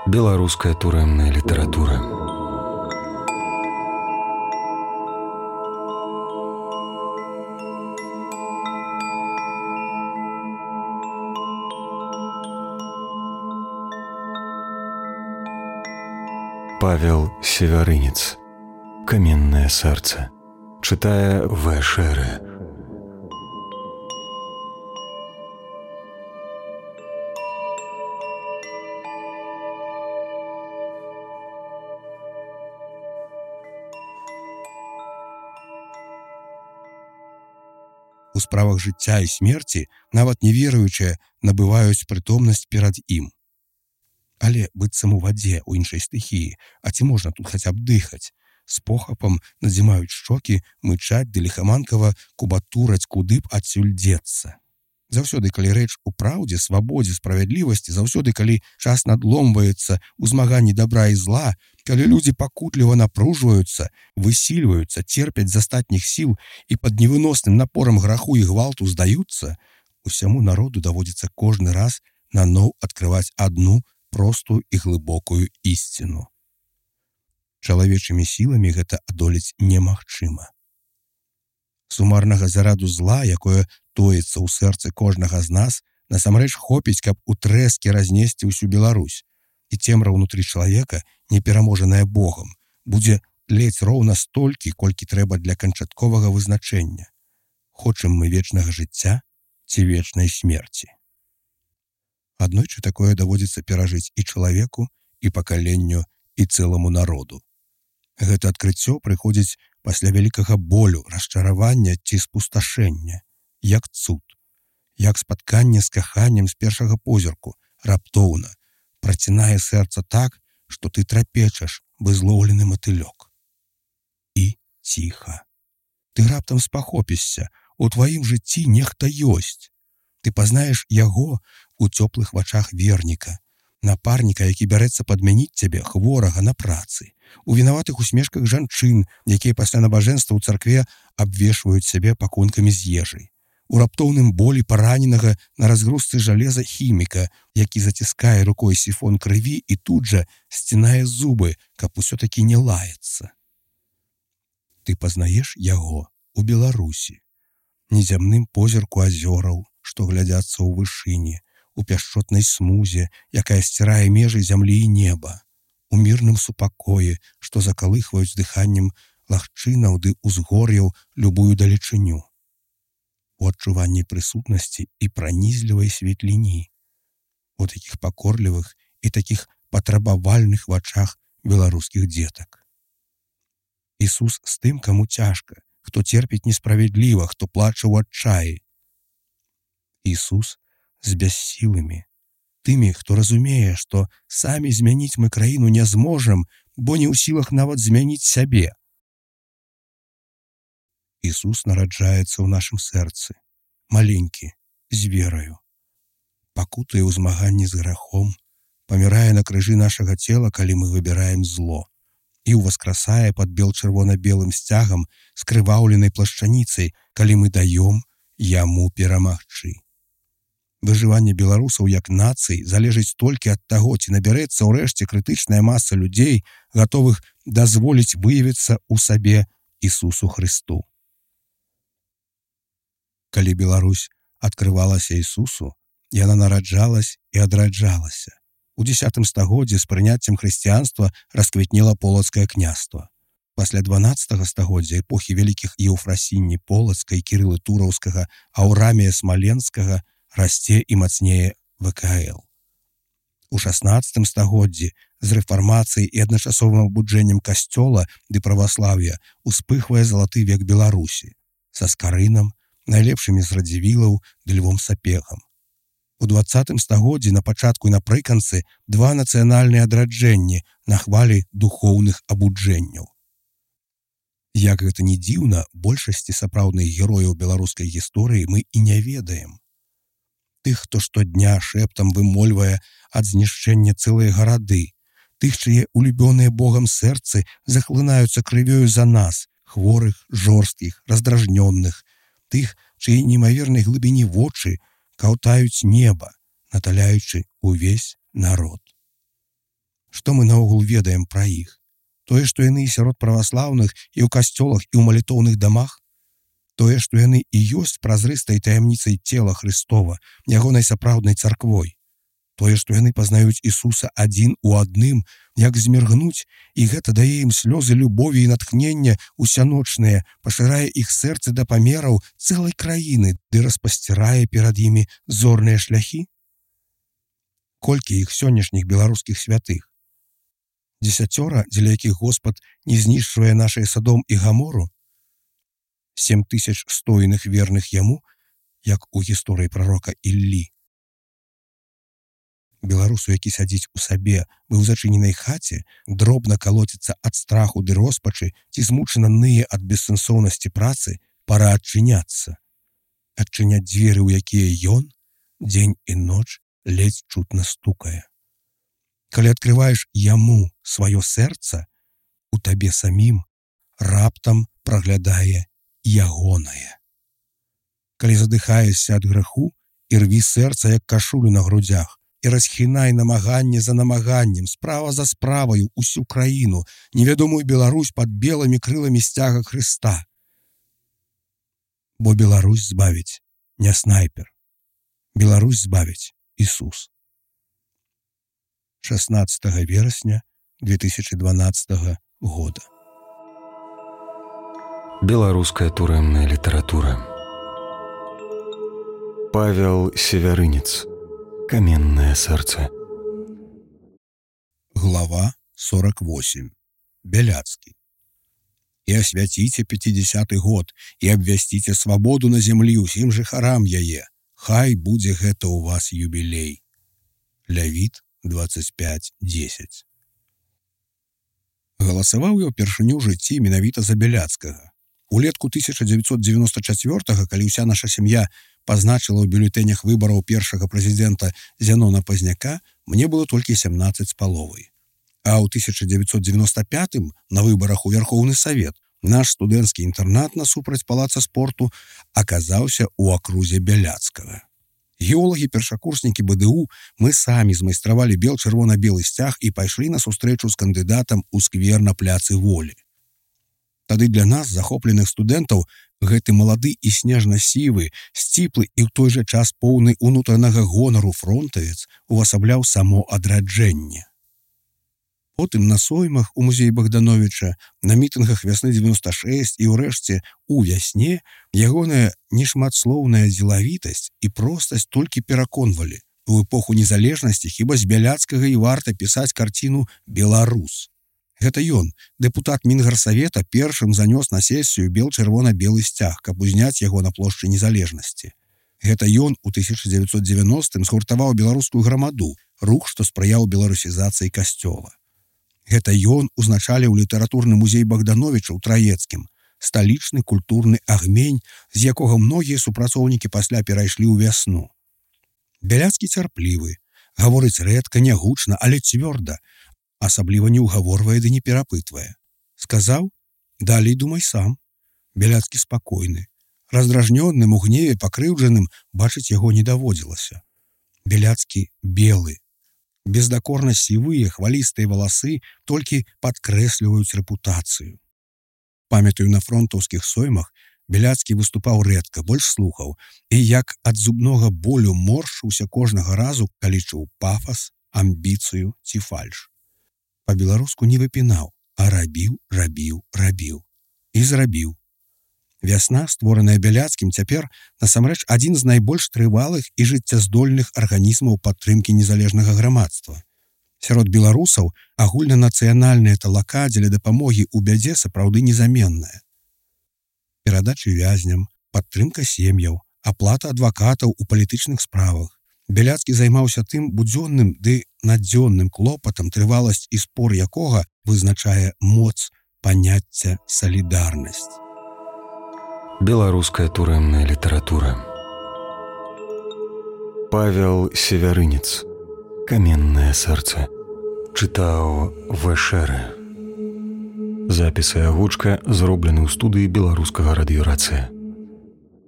Беларуская турэмная літаратура. Павел Севярынец. «Каменное сердце». Читая В. Шеры. У справах жыцця і смерці нават неверуючыя набываюць прытомнасць перад ім. Але быццам у вадзе, у іншай стыхіі, а ці можна тут хаця б дыхаць? З похапам надзімаюць шчокі, мычаць ды ліхаманкава кубатураць, куды б адсюль дзецца. Заўсёды, калі рэч у праўдзе, свабодзе, справядлівасці, заўсёды, калі час надломваецца ў змаганні добра і зла, калі людзі пакутліва напружваюцца, высільваюцца, церпяць з астатніх сіл і пад невыносным напорам граху і гвалту здаюцца, усяму народу даводзіцца кожны раз наноў адкрываць адну простую і глыбокую ісціну. Чалавечымі сіламі гэта адолець немагчыма. Сумарнага зараду зла, якое тоіцца ў сэрцы кожнага з нас, насамрэч хопіць, каб у трэскі разнесці ўсю Беларусь. І цемра ўнутры чалавека, непераможаная Богам, будзе тлець роўна столькі, колькі трэба для канчатковага вызначэння. Хочам мы вечнага жыцця ці вечнай смерці. Аднойчы такое даводзіцца перажыць і чалавеку, і пакаленню, і цэламу народу. Гэта адкрыццё прыходзіць пасля вялікага болю, расчаравання ці спусташэння, як цуд, як спатканне з каханнем з першага позірку, раптоўна, працінае сэрца так, што ты трапечаш, злоўлены матылёк. І ціха. Ты раптам спахопішся, у тваім жыцці нехта ёсць. Ты пазнаеш яго у цёплых вачах верніка, напарніка, які бярэцца падмяніць цябе, хворага, на працы, у вінаватых усмешках жанчын, якія пасля набажэнства ў царкве абвешваюць сябе пакункамі з ежай, у раптоўным болі параненага на разгрузцы жалеза хіміка, які заціскае рукой сіфон крыві і тут жа сцінае зубы, каб усё-такі не лаяцца. Ты пазнаеш яго у Беларусі, незямным позірку азёраў, што глядзяцца ў вышыні, у пяшчотнай смузе, якая сцірае межы зямлі і неба, у мірным супакоі, што закалыхваюць дыханнем лагчынаў ды ўзгор'яў любую далечыню, у адчуванні прысутнасці і пранізлівай светліні, у такіх пакорлівых і такіх патрабавальных вачах беларускіх дзетак. Ісус з тым, каму цяжка, хто церпіць несправядліва, хто плача ў адчаі. Ісус з бяссілымі, тымі, хто разумее, што самі змяніць мы краіну не зможам, бо не ў сілах нават змяніць сябе. Ісус нараджаецца ў нашым сэрцы, маленькі, з вераю, пакутае ў змаганні з грахом, памірае на крыжы нашага цела, калі мы выбіраем зло, і ўваскрасае пад бел-чырвона-белым сцягам скрываўленай плашчаніцай, калі мы даём яму перамагчы. Выжыванне беларусаў як нацыі залежыць толькі ад таго, ці набярэцца ўрэшце крытычная маса людзей, гатовых дазволіць выявіцца ў сабе Ісусу Хрысту. Калі Беларусь адкрывалася Ісусу, яна нараджалась і адраджалася. У 10 стагоддзі з прыняццем хрысціянства расквітнела полацкае княства. Пасля 12 стагоддзя эпохі вялікіх Еўфрасіні Полацка і Кірылы Тураўскага, Аўрамія Смаленскага расце і мацнее ВКЛ. У 16 стагоддзі з рэфармацыяй і адначасовым абуджэннем касцёла ды праваслаўя успыхвае залаты век Беларусі са Скарынам, найлепшымі з радзівілаў ды Львом Сапегам. У 20 стагоддзі на пачатку і напрыканцы два нацыянальныя адраджэнні на хвалі духоўных абуджэнняў. Як гэта не дзіўна, большасці сапраўдных герояў беларускай гісторыі мы і не ведаем. Тых, хто штодня шэптам вымольвае ад знішчэння цэлыя гарады, тых, чые улюбёныя Богам сэрцы захлынаюцца крывёю за нас, хворых, жорсткіх, раздражнённых, тых, чые немавернай глыбіні вочы каўтаюць неба, наталяючы увесь народ. Што мы наогул ведаем пра іх? Тое, што яны і сярод праваслаўных, і ў касцёлах, і ў малітоўных дамах? Тое, што яны і ёсць празрыстай таямніцай цела Христова, ягонай сапраўднай царквой? Тое, што яны пазнаюць Ісуса адзін у адным, як зміргнуць, і гэта дае ім слёзы любові і натхнення усяночныя, пашырае іх сэрцы да памераў цэлай краіны, ды распасцірае перад імі зорныя шляхі? Колькі іх сённяшніх беларускіх святых? 10, дзеля якіх Господ не знішчвае нашыя Садом і Гамору? 7000 стойных верных яму, як у гісторыі прарока Іллі. Беларусу, які сядзіць у сабе, вы ў зачыненай хаце, дробна калоціцца ад страху ды роспачы, ці змучана ные ад бессэнсоўнасці працы, пара адчыняцца. Адчыняць дзверы, у якія ён, дзень і ноч, ледзь чутна стукае. Калі адкрываеш яму сваё сэрца, у табе самім раптам праглядае ягонае. Калі задыхаешся ад грэху, і рві сэрца, як кашулю на грудзях, і расхінай намаганне за намаганнем, справа за справаю усю краіну, невядомую Беларусь пад белымі крыламі сцяга Хрыста. Бо Беларусь збавіць не снайпер. Беларусь збавіць Ісус. 16 верасня 2012 года. Беларуская турэмная літаратура. Павел Севярынец. Каменное сердце. Глава 48. Беляцкий. «И освятите 50-й год, и обвястите свободу на землі усім жыхарам яе. Хай будзе гэта у вас юбілей». Лявіт 25:10. Галасаваў я ўпершыню ў жыцці менавіта за Беляцкага. Улетку 1994-го, калі ўся наша сям'я пазначыла ў бюлетэнях выбараў першага прэзідэнта Зянона Пазняка, мне было толькі 17 з паловай. А ў 1995-м на выбарах у Верхоўны Савет наш студэнцкі інтэрнат насупраць палаца спорту аказаўся ў акрузе Беляцкага. Геолагі-першакурснікі БДУ мы самі змайстравалі бел-чырвона-белы сцяг і пайшлі на сустрэчу з кандыдатам у сквер на пляцы Волі. Тады для нас, захопленых студэнтаў, гэты малады і снежна-сівы, сціплы і ў той жа час поўны унутранага гонару фронтавец увасабляў само адраджэнне. Потым на соймах у музеі Богдановича, на мітынгах вясны 96 і ўрэшце у вясне ягоная нешматслоўная дзелавітасць і простасць толькі пераконвалі. У эпоху незалежнасці хіба з Беляцкага і варта пісаць карціну «Беларус». Гэта ён, дэпутат Мінгарсавета, першым занёс на сесію бел-чырвона-белы сцяг, каб узняць яго на плошчы незалежнасці. Гэта ён у 1990-м згуртаваў беларускую грамаду, рух, што спрыяў беларусізацыі касцёла. Гэта ён узначаліў літаратурны музей Богдановича ў Траецкім, сталічны культурны агмень, з якога многія супрацоўнікі пасля перайшлі ў вясну. Беляцкі цярплівы, гаворыць рэдка, нягучна, але цвёрда, асабліва не ўгаворвае ды не перапытвае. Сказаў, далей думай сам. Беляцкі спакойны. Раздражнённым, у гневе, пакрыўджаным бачыць яго не даводзілася. Беляцкі белы. Бездакорна сівыя, хвалістыя валасы толькі падкрэсліваюць рэпутацыю. Памятаю, на фронтаўскіх соймах Беляцкі выступаў рэдка, больш слухаў, і як ад зубнога болю моршыўся кожнага разу, калі чуў пафас, амбіцыю ці фальш. Па-беларуску не выпінаў, а рабіў. І зрабіў. Вясна, створаная Беляцкім, цяпер насамрэч адзін з найбольш трывалых і жыццяздольных арганізмаў падтрымкі незалежнага грамадства. Сярод беларусаў агульнанацыянальная талака дзеля дапамогі ў бядзе сапраўды незаменная. Перадачы вязням, падтрымка сем'яў, аплата адвакатаў у палітычных справах. Беляцкі займаўся тым будзённым ды надзённым клопатам, трываласць і спор якога вызначае моц паняцця салідарнасць. Беларуская турэмная літаратура. Павел Севярынец. Каменное сердце. Чытаў Вэшэрэ. Запіс і агучка зроблены ў студыі беларускага радыёрацыя.